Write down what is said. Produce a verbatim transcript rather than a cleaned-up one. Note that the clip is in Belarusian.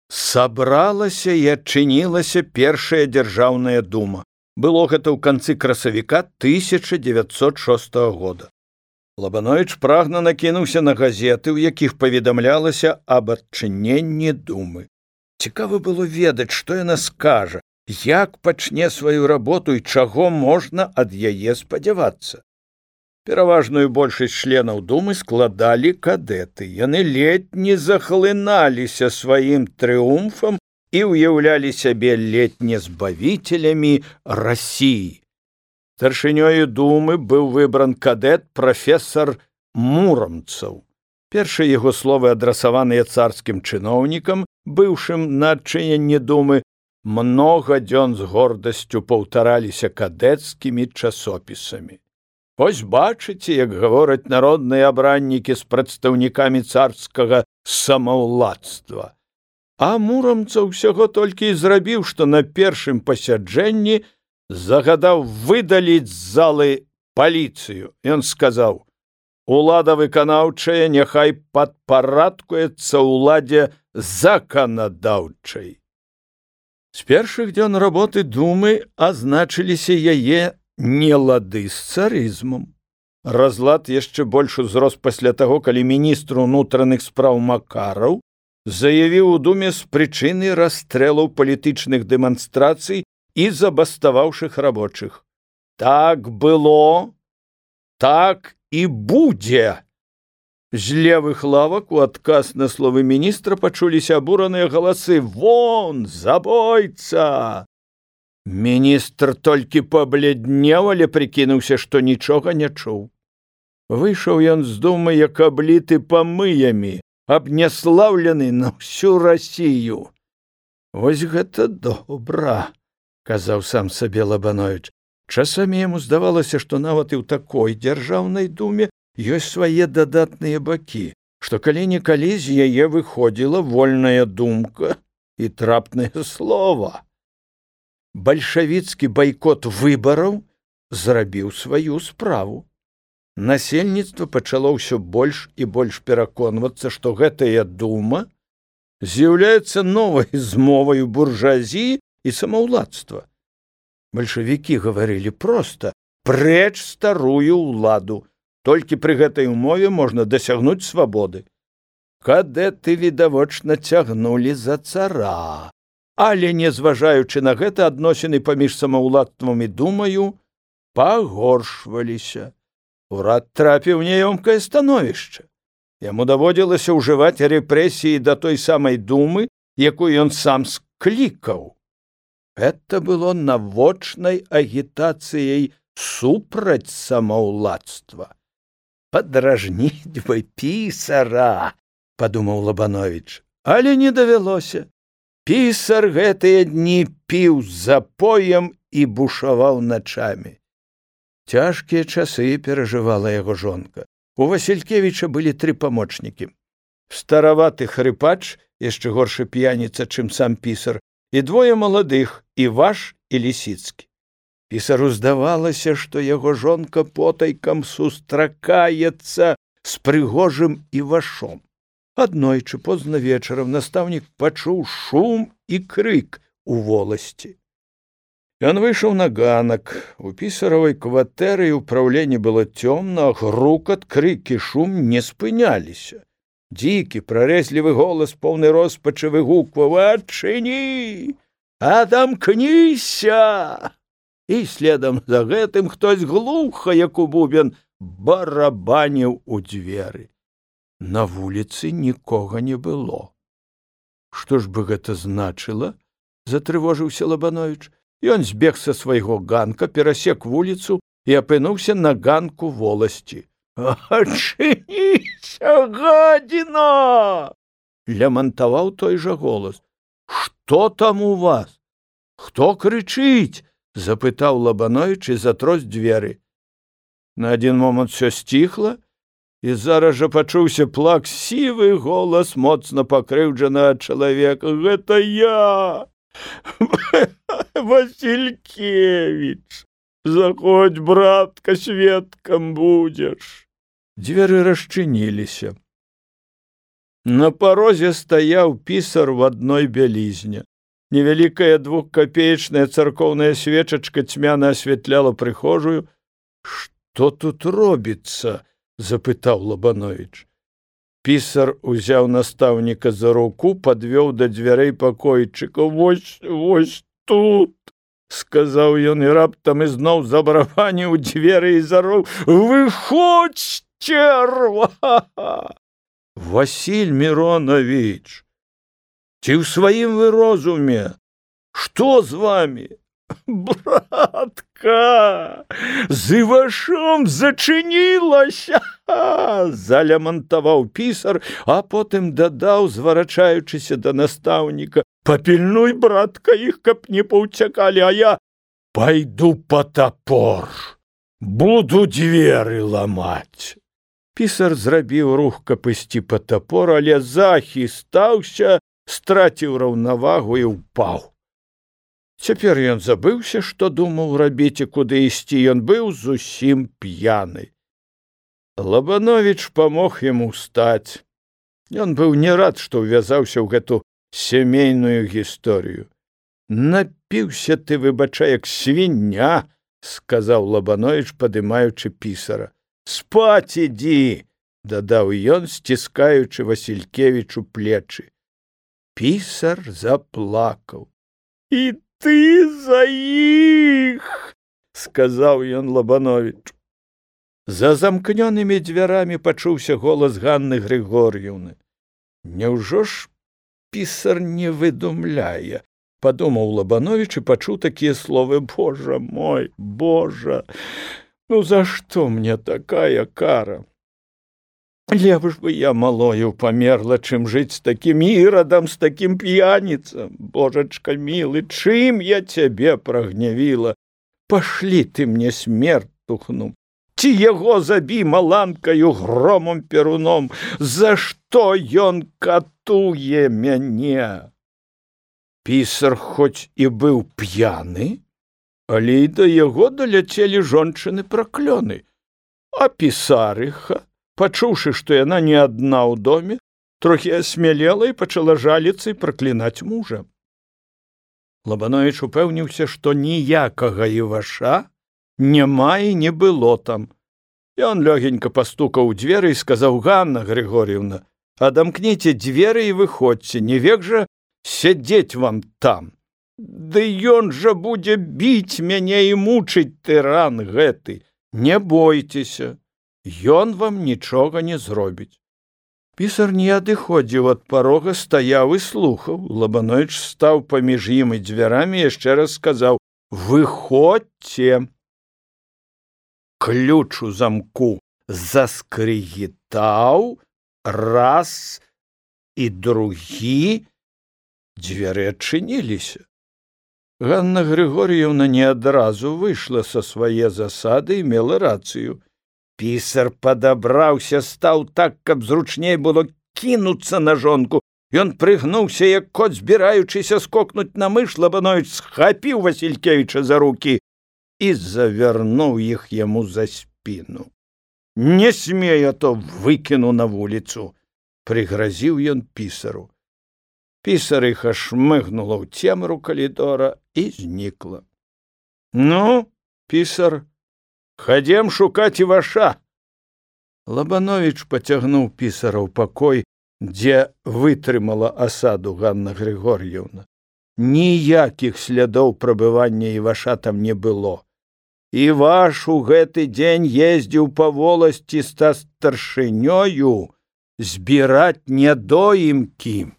Сабралася і адчынілася першая дзяржаўная дума. Было гэта ў канцы красавіка тысяча дзевяцьсот шостага года. Лабановіч прагна накінуўся на газеты, у якіх паведамлялася аб адчыненні думы. Цікава было ведаць, што яна скажа, як пачне сваю работу і чаго можна ад яе спадзявацца. Пераважную большасць членаў думы складалі кадэты. Яны ледзь не захлыналіся сваім трыумфам і ўяўлялі сябе ледзь не збавителямі Расіі. Старшынёю думы быў выбран кадэт прафесар Муромцаў. Першыя яго словы, адрасаваныя царскім чыноўнікам, быўшым на адчыненні думы, многа дзён з гордасцю паўтараліся кадэцкімі часопісамі. Вось бачыце, як гавораць народныя абраннікі з прадстаўнікамі царскага самаўладцтва. А Муромцаў усяго толькі і зрабіў, што на першым пасяджэнні загадаў выдаліць з залы паліцыю. Ён сказаў: «Улада выканаўчая няхай падпарадкуецца ўладзе заканадаўчай». З першых дзён работы думы азначыліся яе нелады з царызмам. Разлад яшчэ больш узрос пасля таго, калі міністр унутраных спраў Макараў заявіў у думе з прычыны расстрэлаў палітычных дэманстрацый і забаставаўшых рабочых. Так было, так і будзе. З левых лавак у адказ на словы міністра пачуліся абураныя галасы: «Вон, забойца!» Міністр толькі пабляднеў, але прыкінуўся, што нічога не чуў. Выйшаў ён з думы, як абліты памыямі, абняслаўлены на ўсю Расію. «Вось гэта добра», — казаў сам сабе Лабановіч. Часамі яму здавалася, што нават і ў такой дзяржаўнай думе ёсць свае дадатныя бакі, што калі-нікалі з яе выходзіла вольная думка і трапнае слова. Бальшавіцкі байкот выбараў зрабіў сваю справу. Насельніцтва пачало ўсё больш і больш пераконвацца, што гэтая дума з'яўляецца новай змоваю буржуазіі і самаўладцтва. Бальшавікі гаварылі проста: «Прэч старую ўладу, толькі пры гэтай умове можна дасягнуць свабоды». Кадэты відавочна цягнулі за цара. Але, незважаючы на гэта, адносіны паміж самаўладцтвам і думаю пагоршваліся. Урад трапіў у няёмкае становішча. Яму даводзілася ўжываць рэпрэсіі да той самай думы, якую ён сам склікаў. Гэта было навочнай агітацыяй супраць самаўладцтва. «Падражніць бы пісара», — падумаў Лабановіч, але не давялося. Пісар гэтыя дні піў з запоем і бушаваў начамі. Цяжкія часы перажывала яго жонка. У Васількевіча былі тры памочнікі. Стараваты хрыпач, яшчэ горшы п'яніца, чым сам пісар, і двое маладых, Іваш і Лісіцкі. Пісару здавалася, што яго жонка потайкам сустракаецца з прыгожым Івашом. Аднойчы позна вечарам настаўнік пачуў шум і крык у воласці. Ён выйшаў на ганак. У пісаравай кватэры і ўпраўленні было цёмна, а грукат, крык і шум не спыняліся. Дзікі, прарэзлівы голас, поўны роспачы, выгукваў: «Адчыні! Адамкніся!» І следам за гэтым хтось глуха, як у бубен, барабаніў у дзверы. На вуліцы нікога не было. «Што ж бы гэта значыла?» — затрывожыўся Лабановіч. Ён збег са свайго ганка, перасек вуліцу і апынуўся на ганку воласці. «Адчыніся, гадзіна!» — лямантаваў той жа голас. «Што там у вас? Хто крычыць?» — запытаў Лабановіч і затрос дзверы. На адзін момант усё сціхла, і зараз жа пачуўся плаксівы голас моцна пакрыўджанага чалавека. «Гэта я, Васількевіч! Заходзь, братка, сведкам будзеш!» Дзверы расчыніліся. На парозе стаяў пісар в адной бялізне. Невялікая двухкапеечная царкоўная свечачка цьмяна асвятляла прыхожую. «Што тут робіцца?» – запытаў Лабановіч. Пісар узяў настаўніка за руку, падвёў да дзвярэй пакойчыка. «Вось, вось тут!» – сказаў ён, і раптам ізноў забарабаніў дзверы і зароў. «Выходзь, церва!» «Васіль Миронович, ці ў сваім вы розуме? Што з вами?» «Братка, з Івашом зачынілася!» залямантаваў пісар, а потым дадаў, зварачаючыся да настаўніка. «Папільнуй, братка, іх, каб не паўцякалі, а я пайду па тапор, буду дзверы ламаць». Пісар зрабіў рух, каб ісці па тапор, але захістаўся, страціў раўнавагу і ўпаў. Цяпер ён забыўся, што думаў рабіць і куды ісці. Ён быў зусім п'яны. Лабановіч памог яму ўстаць. Ён быў не рад, што ўвязаўся ў гэту сямейную гісторыю. «Напіўся ты, выбачай, як свіння», – сказаў Лабановіч, падымаючы пісара. «Спаць ідзі», – дадаў ён, сціскаючы Васількевічу плечы. Пісар заплакаў. «І ты за іх», – сказаў ён Лабановічу. За замкнёнымі дзвярамі пачуўся голас Ганны Григор'евны. «Няўжо ж пісар не выдумляе?» – падумаў Лабановіч і пачуў такія словы. «Божа мой, Божа! Ну за што мне такая кара? Лепш бы я малою памерла, чым жыць з такім ірадам, з такім п'яніцам. Божачка мілы, чым я цябе прагнявіла? Пашлі ты мне смерць тухну. Ці яго забі маланкаю громом перуном. За што ён катуе мяне?» Пісар хоць і быў п'яны, але і да яго даляцелі жончыны праклёны. А пісарыха, пачуўшы, што яна не адна ў доме, трохі асмялела і пачала жаліцца і праклінаць мужа. Лабановіч упэўніўся, што ніякага Іваша няма і не было там. Ён лёгенька пастукаў у дзверы і сказаў: «Ганна Григор'евна, адамкніце дзверы і выходзьце, не век жа сядзець вам там. Ды ён жа будзе біць мяне і мучыць, тыран гэты. Не бойцеся, ён вам нічога не зробіць». Пісар не адыходзіў ад парога, стаяў і слухаў. Лабановіч стаў паміж ім і дзвярамі і яшчэ раз сказаў: «Выходзьце». Ключ у замку заскрыгітаў раз і другі. Дзверы адчыніліся. Ганна Григор'евна не адразу выйшла са свае засады і мела рацыю. Пісар падабраўся, стаў так, каб зручней было кінуцца на жонку. Ён прыгнуўся, як кот, збіраючыся скокнуць на мыш. Лабановіч схапіў Васількевіча за рукі і завярнуў іх яму за спіну. «Не смей, а то выкіну на вуліцу», – прыгразіў ён пісару. Пісарыха шмыгнула ў цемру калідора і знікла. «Ну, пісар, хадзем шукаць Іваша». Лабановіч пацягнуў пісара ў пакой, дзе вытрымала асаду Ганна Григор'евна. Ніякіх слядоў прабывання Іваша там не было. Іваш у гэты дзень ездзіў па воласці са старшынёю збіраць нядоімкі.